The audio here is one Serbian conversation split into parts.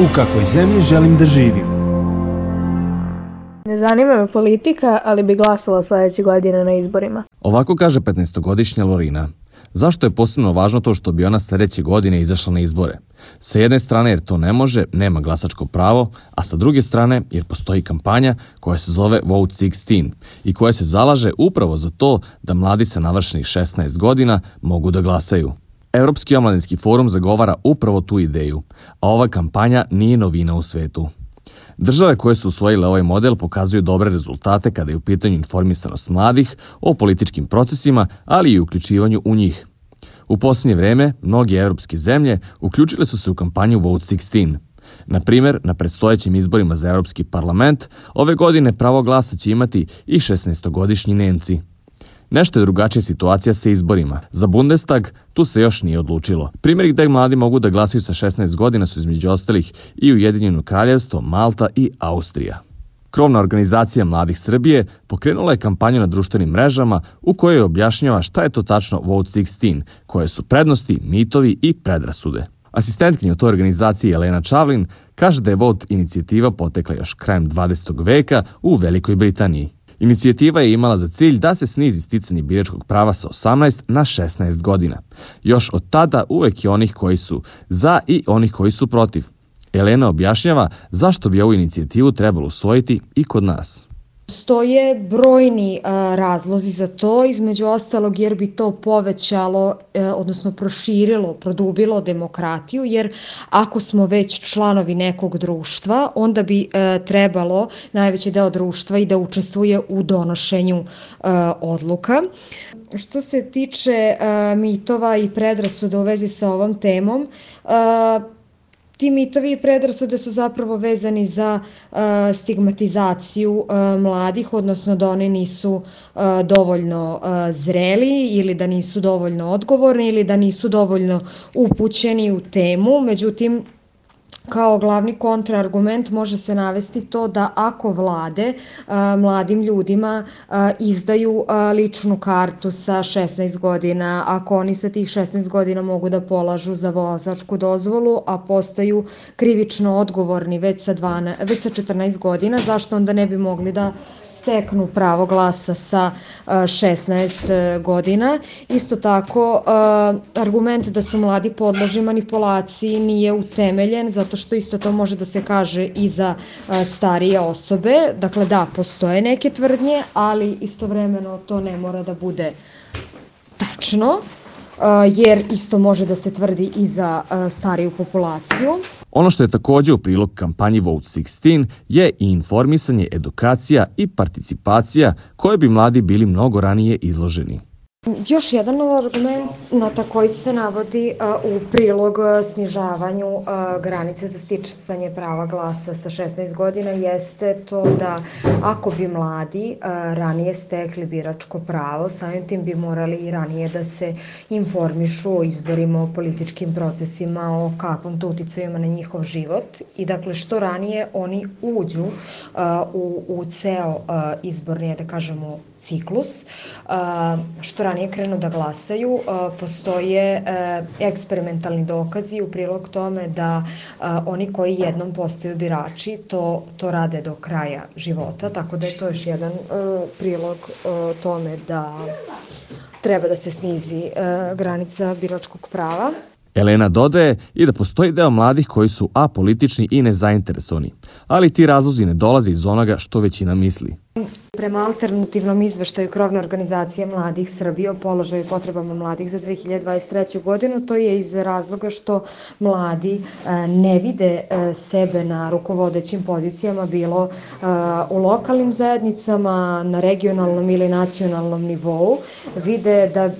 U kakvoj zemlji želim da živim? Ne zanima me politika, ali bi glasala sledeće godine na izborima. Ovako kaže 15-godišnja Lorina. Zašto je posebno važno to što bi ona sledeće godine izašla na izbore? Sa jedne strane jer to ne može, nema glasačko pravo, a sa druge strane jer postoji kampanja koja se zove Vote 16 i koja se zalaže upravo za to da mladi sa navršenih 16 godina mogu da glasaju. Evropski omladinski forum zagovara upravo tu ideju, a ova kampanja nije novina u svetu. Države koje su usvojile ovaj model pokazuju dobre rezultate kada je u pitanju informisanost mladih o političkim procesima, ali i uključivanju u njih. U posljednje vreme, mnoge evropske zemlje uključile su se u kampanju Vote 16. Na primjer, na predstojećim izborima za Evropski parlament, ove godine pravo glasa će imati i 16-godišnji Nemci. Nešto je drugačija situacija sa izborima. Za Bundestag tu se još nije odlučilo. Primjeri gde mladi mogu da glasaju sa 16 godina su između ostalih i Ujedinjeno Kraljevstvo, Malta i Austrija. Krovna organizacija Mladih Srbije pokrenula je kampanju na društvenim mrežama u kojoj objašnjava šta je to tačno Vote 16, koje su prednosti, mitovi i predrasude. Asistentkinja u toj organizaciji Elena Čavlin kaže da je Vote inicijativa potekla još krajem 20. veka u Velikoj Britaniji. Inicijativa je imala za cilj da se snizi sticanje biračkog prava sa 18 na 16 godina. Još od tada uvek je onih koji su za i onih koji su protiv. Elena objašnjava zašto bi ovu inicijativu trebalo usvojiti i kod nas. Stoje brojni razlozi za to, između ostalog jer bi to povećalo, odnosno proširilo, produbilo demokratiju, jer ako smo već članovi nekog društva, onda bi trebalo najveći deo društva i da učestvuje u donošenju odluka. Što se tiče mitova i predrasuda u vezi sa ovom temom, ti mitovi i predrasude su zapravo vezani za stigmatizaciju mladih, odnosno da oni nisu dovoljno zreli ili da nisu dovoljno odgovorni ili da nisu dovoljno upućeni u temu. Međutim, kao glavni kontraargument može se navesti to da ako vlade mladim ljudima izdaju ličnu kartu sa 16 godina, ako oni sa tih 16 godina mogu da polažu za vozačku dozvolu, a postaju krivično odgovorni već sa 14 godina, zašto onda ne bi mogli da steknu pravo glasa sa 16 godina. Isto tako, argument da su mladi podložni manipulaciji nije utemeljen, zato što isto to može da se kaže i za starije osobe. Dakle, da, postoje neke tvrdnje, ali istovremeno to ne mora da bude tačno, jer isto može da se tvrdi i za stariju populaciju. Ono što je takođe u prilog kampanji Vote 16 je i informisanje, edukacija i participacija koje bi mladi bili mnogo ranije izloženi. Još jedan argument na koji se navodi u prilog snižavanju granice za sticanje prava glasa sa 16 godina jeste to da ako bi mladi ranije stekli biračko pravo, samim tim bi morali i ranije da se informišu o izborima, o političkim procesima, o kakvom to uticaju ima na njihov život i dakle što ranije oni uđu u ceo izborni, da kažemo, ciklus, što ranije krenu da glasaju, postoje eksperimentalni dokazi u prilog tome da oni koji jednom postaju birači to rade do kraja života, tako da je to još jedan prilog tome da treba da se snizi granica biračkog prava. Elena dodaje i da postoji deo mladih koji su apolitični i nezainteresovani, ali ti razlozi ne dolaze iz onoga što većina misli. Prema alternativnom izveštaju Krovne organizacije Mladih Srbije o položaju i potrebama mladih za 2023. godinu, to je iz razloga što mladi ne vide sebe na rukovodećim pozicijama, bilo u lokalnim zajednicama, na regionalnom ili nacionalnom nivou. Vide da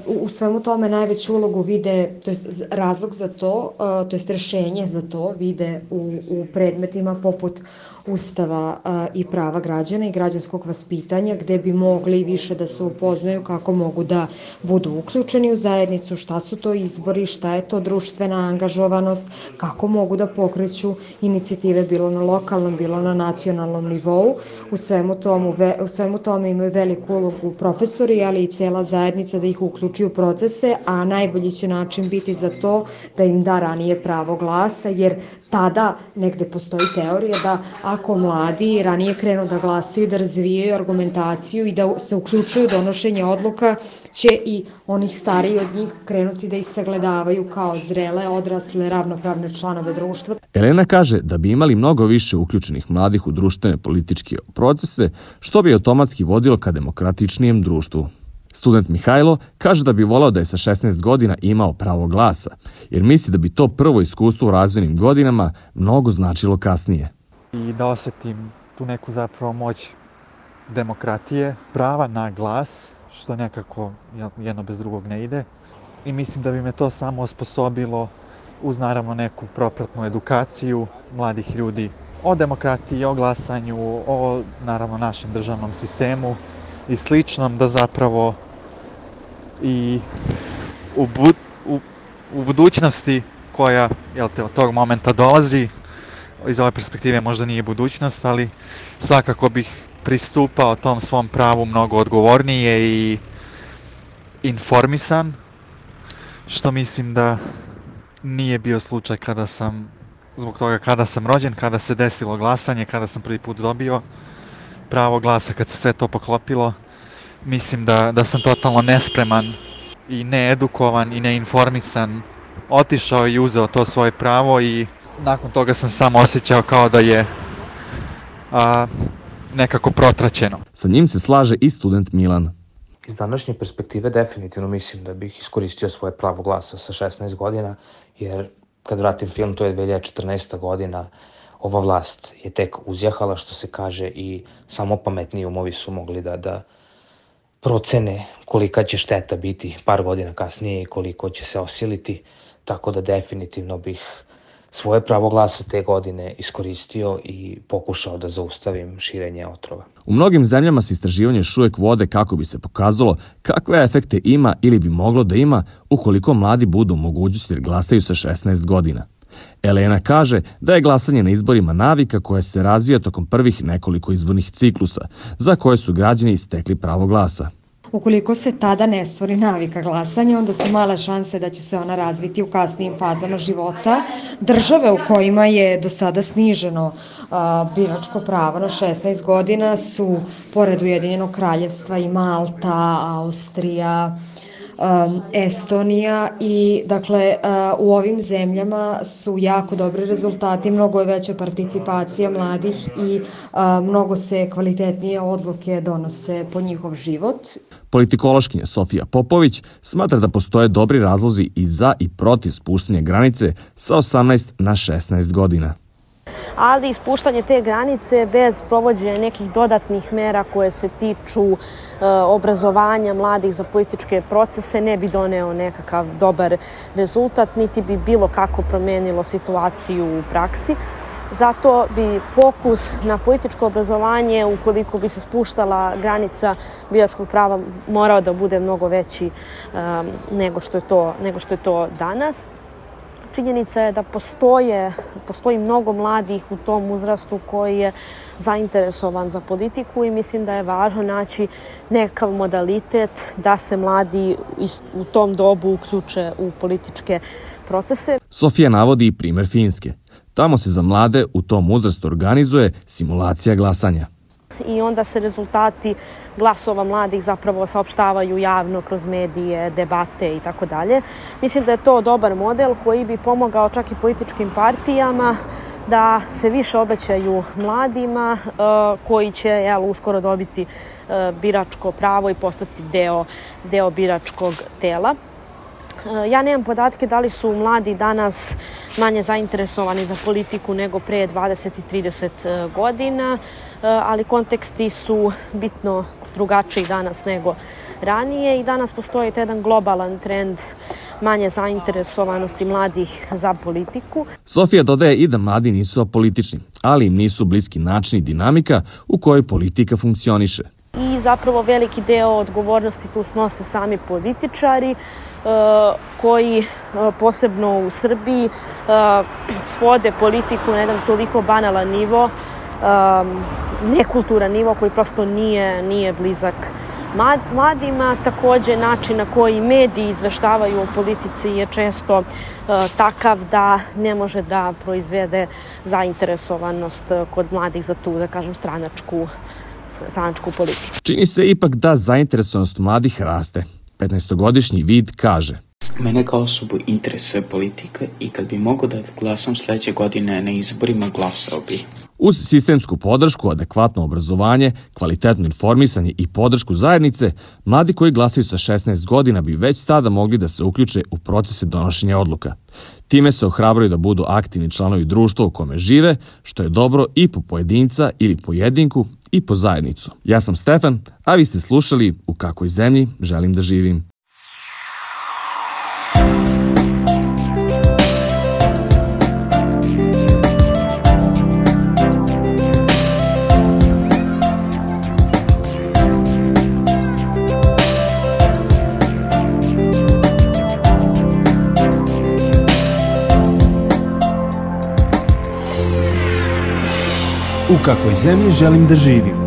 u svemu tome najveću ulogu vide, to jest razlog za to, to jest rešenje za to vide u predmetima poput Ustava i prava građana i građanskog seksualnog vaspitanja gde bi mogli više da se upoznaju kako mogu da budu uključeni u zajednicu, šta su to izbori, šta je to društvena angažovanost, kako mogu da pokreću inicijative bilo na lokalnom, bilo na nacionalnom nivou. U svemu tome imaju veliku ulogu profesori, ali i cela zajednica da ih uključi u procese, a najbolji će način biti za to da im da ranije pravo glasa, jer tada negde postoji teorija da ako mladi ranije krenu da glasaju, da razvijaju argumentaciju i da se uključuju u donošenje odluka, će i onih stariji od njih krenuti da ih sagledavaju kao zrele, odrasle, ravnopravne članove društva. Elena kaže da bi imali mnogo više uključenih mladih u društvene političke procese, što bi automatski vodilo ka demokratičnijem društvu. Student Mihajlo kaže da bi volao da je sa 16 godina imao pravo glasa, jer misli da bi to prvo iskustvo u razvojnim godinama mnogo značilo kasnije. I da osetim tu neku zapravo moć demokratije, prava na glas, što nekako jedno bez drugog ne ide. I mislim da bi me to samo osposobilo uz naravno neku propratnu edukaciju mladih ljudi o demokratiji, o glasanju, o naravno našem državnom sistemu i sličnom, da zapravo i u budućnosti koja od tog momenta dolazi, iz ove perspektive možda nije budućnost, ali svakako bih pristupao tom svom pravu mnogo odgovornije i informisan, što mislim da nije bio slučaj zbog toga kada sam rođen, kada se desilo glasanje, kada sam prvi put dobio pravo glasa, kad se sve to poklopilo. Mislim da sam totalno nespreman i needukovan i neinformisan otišao i uzeo to svoje pravo i nakon toga sam samo osjećao kao da je nekako protraćeno. Sa njim se slaže i student Milan. Iz današnje perspektive definitivno mislim da bih iskoristio svoje pravo glasa sa 16 godina, jer kad vratim film, to je 2014. godina, ova vlast je tek uzjahala, što se kaže, i samo pametniji umovi su mogli da procene kolika će šteta biti par godina kasnije i koliko će se osiliti, tako da definitivno bih svoje pravo glasa te godine iskoristio i pokušao da zaustavim širenje otrova. U mnogim zemljama se istraživanje još uvijek vode kako bi se pokazalo kakve efekte ima ili bi moglo da ima ukoliko mladi budu u mogućnosti da glasaju sa 16 godina. Elena kaže da je glasanje na izborima navika koja se razvija tokom prvih nekoliko izbornih ciklusa, za koje su građani stekli pravo glasa. Ukoliko se tada ne stvori navika glasanja, onda su male šanse da će se ona razviti u kasnijim fazama života. Države u kojima je do sada sniženo biračko pravo na 16 godina su, pored Ujedinjenog kraljevstva, i Malta, Austrija, Estonija i dakle u ovim zemljama su jako dobri rezultati, mnogo je veća participacija mladih i mnogo se kvalitetnije odluke donose po njihov život. Politikološkinja Sofija Popović smatra da postoje dobri razlozi i za i protiv spuštanja granice sa 18 na 16 godina. Ali ispuštanje te granice bez provođenja nekih dodatnih mera koje se tiču obrazovanja mladih za političke procese ne bi doneo nekakav dobar rezultat, niti bi bilo kako promenilo situaciju u praksi. Zato bi fokus na političko obrazovanje, ukoliko bi se spuštala granica biračkog prava, morao da bude mnogo veći nego što je to danas. Činjenica je da postoji mnogo mladih u tom uzrastu koji je zainteresovan za politiku i mislim da je važno naći nekakav modalitet da se mladi u tom dobu uključe u političke procese. Sofija navodi i primer Finske. Tamo se za mlade u tom uzrastu organizuje simulacija glasanja. I onda se rezultati glasova mladih zapravo saopštavaju javno kroz medije, debate i tako dalje. Mislim da je to dobar model koji bi pomogao čak i političkim partijama da se više obećaju mladima koji će uskoro dobiti biračko pravo i postati deo biračkog tela. Ja nemam podatke da li su mladi danas manje zainteresovani za politiku nego pre 20 i 30 godina, ali konteksti su bitno drugačiji danas nego ranije i danas postoji jedan globalan trend manje zainteresovanosti mladih za politiku. Sofija dodaje i da mladi nisu apolitični, ali im nisu bliski način i dinamika u kojoj politika funkcioniše. I zapravo veliki deo odgovornosti tu snose sami političari koji posebno u Srbiji svode politiku na jedan toliko banalan nivo, nekulturan nivo koji prosto nije blizak mladima. Takođe, način na koji mediji izveštavaju o politici je često takav da ne može da proizvede zainteresovanost kod mladih za tu, da kažem, stranačku politiku. Čini se ipak da zainteresovanost mladih raste. 15-godišnji Vid kaže: Mene kao osobu interesuje politika i kad bi mogao da glasam sledeće godine na izborima, glasao bi. Uz sistemsku podršku, adekvatno obrazovanje, kvalitetno informisanje i podršku zajednice, mladi koji glasaju sa 16 godina bi već tada mogli da se uključe u procese donošenja odluka. Time se ohrabruju da budu aktivni članovi društva u kome žive, što je dobro i po pojedinca ili pojedinku i po zajednicu. Ja sam Stefan, a vi ste slušali U kakvoj zemlji želim da živim. U kakvoj zemlji želim da živim.